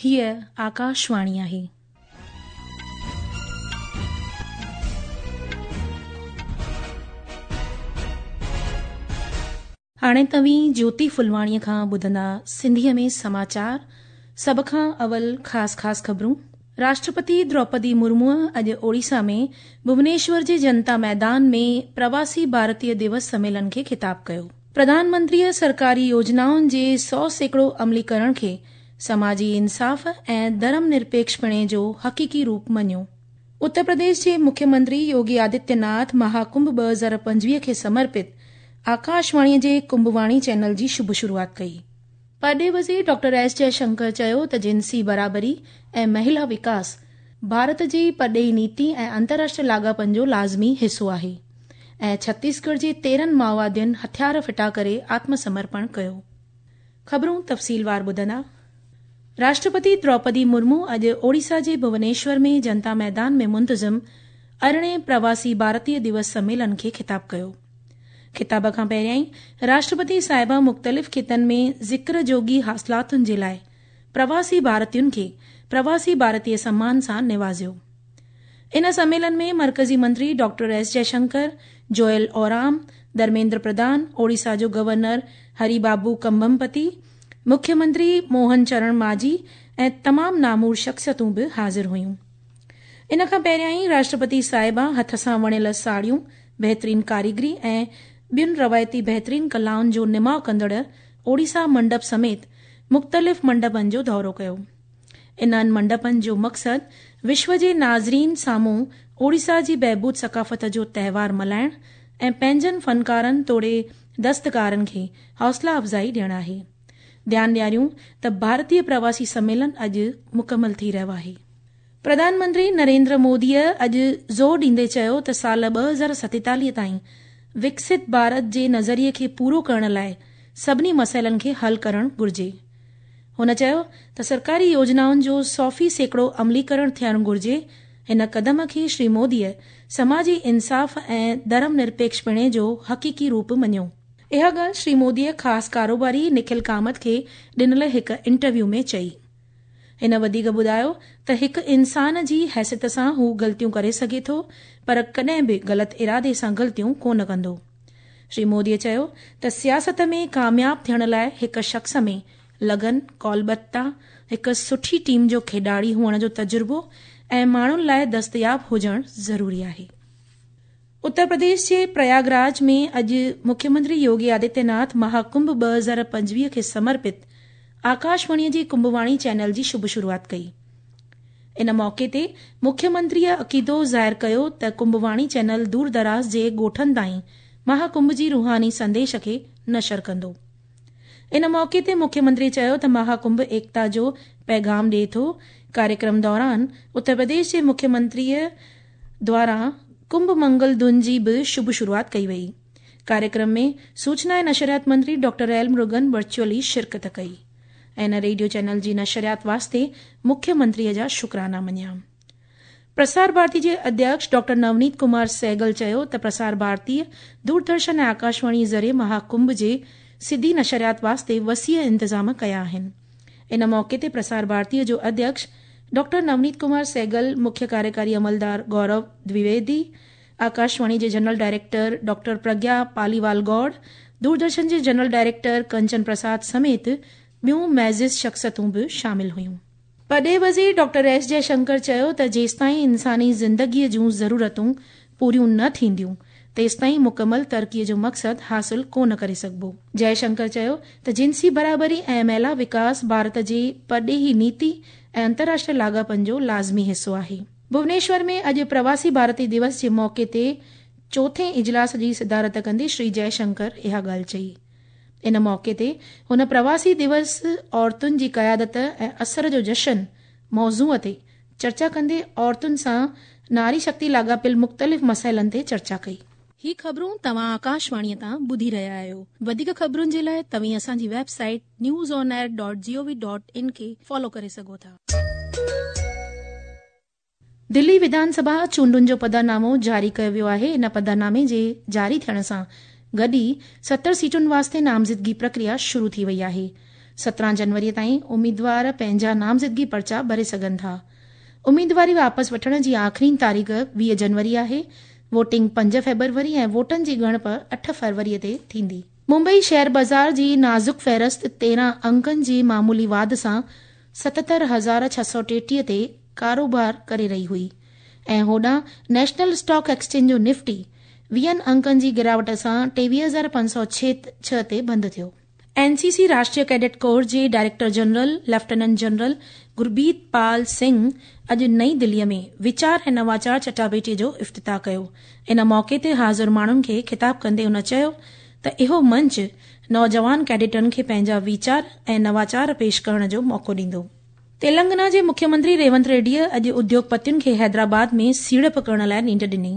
هيء آڪاشواڻي آهي. هاڻي توهين جيوتي ڦلواڻيء کان ٻڌندا سنڌيء ۾ سماچار، سڀ کان اول خاص خاص خبرون. راشٽرپتي دروپدي مرموء اڄ اوڙيسا ۾ ڀونيشور جي جنتا ميدان ۾ پرواسي ڀارتيه ديوس سميلن کي خطاب ڪيو. پرڌان منتريء سرڪاري يوجنائن جي 100% عملي ڪرڻ کي سماجي انصاف ۽ ڌرم نرپيڪشپڻي جو حقيقي روپ مڃيو. اتر پرديش جي مکيه منتري يوگي آدتيه ناٿ مهاڪنڀ 2025 کي سمرپت آڪاشواڻي جي ڪنڀواڻي چينل جي شڀ شروعات ڪئي. پرڏيهي وزير ڊاڪٽر ايس جئه شنڪر چيو ته جنسي برابري ۽ مهلا وڪاس ڀارت جي پرڏيهي نيتي ۽ انترراشٽريه لاڳاپن جو لازمي حصو آهي ۽ ڇتيسڳڙهه جي 13 مائووادين هٿيار ڦٽا ڪري آتم سمرپڻ ڪيو. خبرون تفصيلوار ٻڌندا. راشٽرپتي دروپدي مرمو اڄ اوڙيسا جي ڀونيشور ۾ جنتا ميدان ۾ منتظم ارڙهين پرواسي ڀارتيه ديوس سميلن کي خطاب ڪيو. خطاب کان پهريائين راشٽرپتي صاحبه مختلف خطن ۾ ذڪر جوڳي حاصلاتن جي لاء پرواسي ڀارتين کي پرواسي ڀارتيه سمان سان نوازيو. ان سميلن ۾ مرڪزي منتري ڊاڪٽر ايس جئشنڪر، جوئل اورام، ڌرميندر پرڌان، اوڙيسا جو گورنر هري بابو ڪمڀمپتي، مکيه منتري موهن چرڻ ماجهي ۽ تمام نامور شخصيتون به حاضر هيون. ان کان پهريائين راشٽرپتي صاحبه هٿ سان وڻيل ساڙهيون، بهترين ڪاريگري ۽ ٻين روايتي بهترين ڪلائن جو نماء ڪندڙ اوڙيسا منڊپ سميت مختلف منڊپن جو دورو ڪيو. انهن منڊپن جو مقصد وشو جي ناظرين سامهون اوڙيسا جي بهبود ثقافت جو تهوار ملهائڻ ۽ پنهنجن فنڪارن توڙي دستڪارن کي حوصلا افزائي ڏيڻ آهي. ڌيان ڏياريون ته ڀارتيه پرواسي سميلن اڄ مڪمل ٿي رهيو آهي. پرڌان منتري نريندر موديء اڄ زور ڏيندي چيو ته سال 2047 تائين وڪست ڀارت جي نظريي کي پورو ڪرڻ لاء سڀني مسئلن کي حل ڪرڻ گهرجي. هن چيو ته سرڪاري يوجنائن جو 100% عملي ڪرڻ ٿيڻ گهرجي. هن قدم کي شري موديء سماجي انصاف ۽ ڌرم نرپيڪشپڻي جو حقيقي روپ مڃيو. اها ڳالهه شري موديء خاص ڪاروباري نکل ڪامت کي ڏنل هڪ انٽرويو ۾ چئي. هن وڌيڪ ٻڌايو ته هڪ انسان جي حيثيت سان هو غلطيون ڪري سگهي ٿو پر ڪڏهن به غلط ارادي سان غلطيون ڪونه ڪندو. شري مودي چيو ته سياست ۾ ڪامياب ٿيڻ لاء هڪ شخص ۾ لگن، قولبڌتا، هڪ سٺي ٽيم جو کيڏاڙي هئڻ جو تجربو ۽ ماڻهن لاء دستياب هجڻ ضروري آهي. اتر پرديش جي پرياگ راج ۾ اڄ مکيه منتري يوگي آدتيه ناٿ مهاڪنڀ 2025 کي سمرپت آڪاشواڻي جي ڪنڀواڻي چينل جي شڀ شروعات ڪئي. ان موقعي تي مکيه منتريء عقيدو ظاهر ڪيو ته ڪنڀواڻي چينل دور دراز جي ڳوٺن تائين مهاڪنڀ جي روحاني سنديش کي نشر ڪندو. ان موقعي تي مکيه منتري چيو ته مها ڪنڀ ايڪتا جو پيغام ڏئي ٿو. ڪاريڪرم دوران اتر پرديش جي مکيه منتريء دواران ڪنڀ منگل ڌن جي به شڀ شروعات ڪئي وئي. ڪاريڪرم ۾ سوچنا ۽ نشريات منتري ڊاڪٽر ايل مروگن ورچوئلي شرڪت ڪئي ۽ ان ريڊيو چينل جي نشريات واسطي مکيه منتريء جا شڪرانا مڃيا. پرسار ڀارتي جي اڌيڪش ڊاڪٽر نونيت ڪمار سهگل چيو ته پرسار ڀارتيء دوردرشن ۽ آڪاشواڻي ذريعي مها ڪنڀ جي سڌي نشريات واسطي وسيع انتظام ڪيا آهن. ان موقعي تي پرسار ڀارتيء جو اڌيڪش ڊاڪٽر نونيت ڪمار سهگل، مکيه ڪاريڪاري عملدار گورو دويويدي، آڪاشواڻي جي general director doctor Pragya Paliwal Gaur, Doordarshan جي جنرل ڊائريڪٽر ڪنچن پرساد سميت ٻيون معزز شخصيتون به شامل هيون. پرڏيهي وزير ڊاڪٽر ايس جئه شنڪر چيو ته جيستائين انساني زندگيء جون ضرورتون پوريون نه ٿينديون، تيستائين مڪمل ترقيء جو مقصد حاصل ڪونه ڪري سگهبو. جئه شنڪر چيو ته جنسي برابري ۽ مهلا وڪاس ڀارت جي پرڏيهي نيتي ۽ انترراشٽريه لاڳاپن جو لازمي حصو آهي. ڀونيشور ۾ اڄ پرواسي ڀارتي ديوس جي موقعي تي چوٿين اجلاس جي صدارت ڪندي شري جئه شنڪر اها ڳالهه چئي. ان موقعي تي هن پرواسي ديوس عورتن جي قيادت ۽ اثر جو جشن موضوع تي چرچا ڪندي عورتن سان ناري شڪتي لاڳاپيل مختلف مسئلن تي چرچا ڪئي. هي خبرون توهان آڪاشواڻي تان ٻڌي رهيا آهيو. وڌيڪ خبرن جي لاء توهين اسان جي website news on air dot G O V dot in کي فالو ڪري سگهو ٿا. دلي وڌان سڀا چونڊن جو پڌرنامو جاري ڪيو ويو آهي. ان پڌرنامي جي جاري ٿيڻ سان گڏ ئي 70 سيٽن واسطي نامزدگي پرڪريا شروع ٿي وئي آهي. 17 جنوري تائين اميدوار پنهنجا نامزدگي پرچا ڀري سگهن ٿا. اميدواري واپس وٺڻ جي آخرين تاريخ 20 جنوري آهي. ووٽنگ 5 فيبروري ۽ ووٽن جي ڳڻپ 8 فروري تي ٿيندي. ممبئي شيئر بازار جي نازڪ فهرست 13 انڪن جي معمولي واڌ سان 77,633 تي ڪاروبار ڪري رهي هئي ۽ هوڏانهن نيشنل اسٽاڪ ايڪسچينج جو نفٽي 20 انڪن جي گراوٽ سان 23,506 تي بند ٿيو. اين سي سي راشٽريه ڪيڊٽ ڪور جي director general lieutenant general Gurpreet Pal Singh اڄ نئين دلي ۾ ويچار ۽ نواچار چٽاڀيٽي جو افتتاح ڪيو. ان موقعي تي حاضر ماڻهن کي خطاب ڪندي هن چيو ته اهو منچ نوجوان ڪيڊٽن کي پنهنجا ويچار ۽ نواچار پيش ڪرڻ جو موقعو ڏيندو. تيلنگنا جي مکيه منتري ريونت ريڊيء اڄ اديوگپتين کي حيدرآباد ۾ سيڙپ ڪرڻ لاء نينڍ ڏني.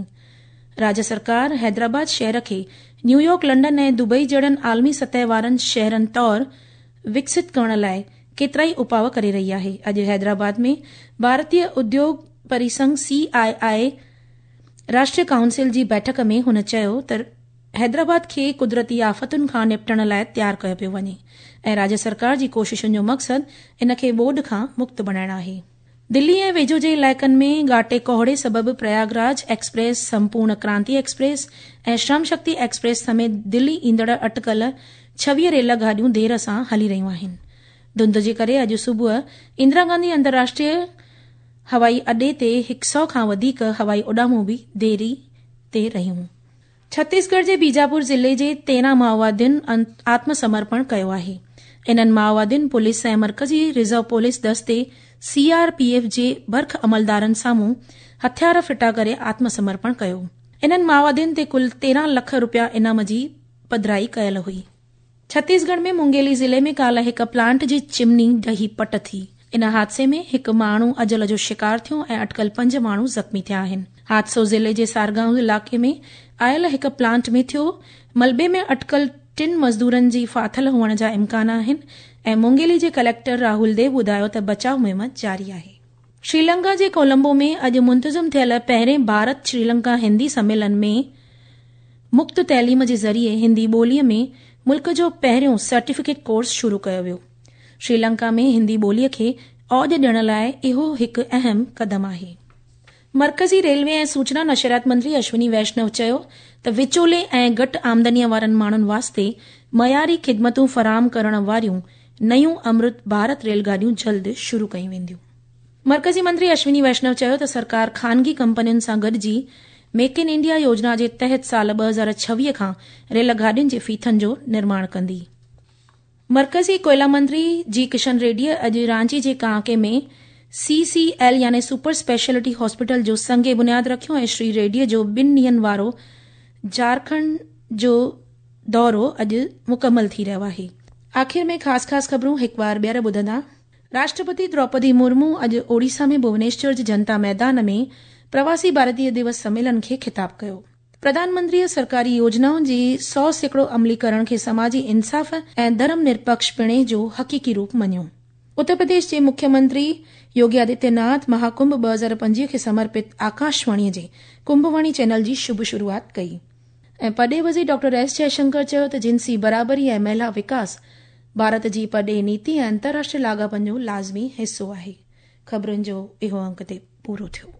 راجيه سرڪار حيدرآباد شهر کي نيويارڪ، لنڊن ۽ دبئي جهڙن عالمي سطح وارن شهرن طور وڪست ڪرڻ لاء ڪيترائي اپاء ڪري رهي آهي. اڄ حيدرآباد ۾ ڀارتيه اديوگ پريسنگهه، سي آء آء، راشٽريه ڪائونسل جي بيٺڪ ۾ هن چيو ته حيدرآباد کي قدرتي آفتن کان نپٽڻ لاء تيار ڪيو پيو وڃي ۽ راجيه سرڪار جي ڪوششن جو مقصد ان کي ٻوڏ کان مڪت بڻائڻ آهي. دلي ۽ ويجهو جي علائقن ۾ گهاٽي ڪوهيڙي سبب پرياگراج ايڪسپريس، سمپورڻ ڪرانتي ايڪسپريس ۽ شرم شڪتي ايڪسپريس سميت دلي ايندڙ اٽڪل 26 ريل گاڏيون دير سان هلي رهيون آهن. ڌنڌ جي ڪري اڄ صبح اندرا گانڌي انترراشٽريه هوائي اڏي تي 100 کان وڌيڪ هوائي اڏامون به ديري تي رهيون. ڇتيسڳڙهه جي بيجاپور ضلعي جي 13 مائووادين آتم سمرپڻ ڪيو آهي. انهن مائووادين پوليس ۽ مرڪزي رزرو پوليس دستي سي آر پي ايف جي برک عملدارن سامهون هٿيار ڦٽا ڪري آتم سمرپڻ ڪيو. انهن مائووادين تي ڪل 13 لک روپيا انعام جي پڌرائي ڪيل هئي. ڇتيسڳڙهه ۾ مونگيلي ضلعي ۾ ڪالهه هڪ پلانٽ جي چمني ڊهي پٽ ٿي. ان حادثي ۾ هڪ ماڻهو اجل جو شڪار ٿيو ۽ اٽڪل پنج ماڻهو زخمي ٿيا آهن. حادثو ضلعي جي سارگائون علائقي ۾ آيل هڪ پلانٽ ۾ ٿيو. ملبي ۾ اٽڪل ٽن مزدورن جي ڦاٿل هئڻ جا امڪان آهن ۽ مونگيلي جي ڪليڪٽر راهول ديو ٻڌايو ته بچاء مهم جاري آهي. شريلنڪا جي ڪولمبو ۾ اڄ منتظم ٿيل پهرين ڀارت شريلنڪا هندي سميلن ۾ مفت تعليم جي ذريعي هندي ٻوليء ۾ ملڪ جو پهريون سرٽيفڪيٽ ڪورس شروع ڪيو ويو. شريلنڪا ۾ هندي ٻوليء کي اوڄ ڏيڻ لاء اهو هڪ اهم قدم آهي. مرڪزي ريلوي ۽ سوچنا نشريات منتري اشوني ويشنو چيو ته وچولي ۽ گهٽ آمدنيء وارن ماڻهن واسطي معياري خدمتون فراهم ڪرڻ واريون نيون امرت ڀارت ريل گاڏيون جلد شروع ڪيون وينديون. مرڪزي منتري اشوني ويشنو چيو ته سرڪار خانگي ڪمپنين سان گڏجي ميڪ ان انڊيا يوجنا جي تحت سال 2026 کان ريل گاڏين جي ڦيٿن جو نرماڻ ڪندي. مرڪزي ڪوئلا منتري جي ڪشن ريڊيء اڄ رانچي جي ڪانڪي ۾ سي سي ايل يعني سپر اسپيشلٽي هاسپيٽل جو سنگ بنياد رکيو ۽ شري ريڊيء جو ٻن ڏينهن وارو جارکنڊ جو دورو اڄ مڪمل ٿي رهيو آهي. آخر ۾ خاص خاص خبرون هڪ وار ٻيهر ٻڌندا. راشٽرپتي دروپدي مرمو اڄ اوڙيسا ۾ ڀونيشور جي جنتا ميدان ۾ پرواسي ڀارتيه دوس سميلن کي خطاب ڪيو. پرڌان منتريء سرڪاري يوجنائن جي 100% عملي ڪرڻ کي سماجي انصاف ۽ ڌرم نرپيڪش پڻي جو حقيقي روپ مڃيو. اتر پرديش جي مکيه منتري يوگي آدتيه ناٿ مهاڪنڀ 2025 کي سمرپت آڪاشواڻي جي ڪنڀواڻي چينل جي شڀ شروعات ڪئي. ۽ پرڏيهي وزير ڊاڪٽر ايس جئشنڪر چيو ته جنسي برابري ۽ مهلا وڪاس ڀارت جي پرڏيهي نيتي ۽ انترراشٽريه لاڳاپن جو لازمي حصو آهي. خبرن جو اهو انڪ هتي پورو ٿيو.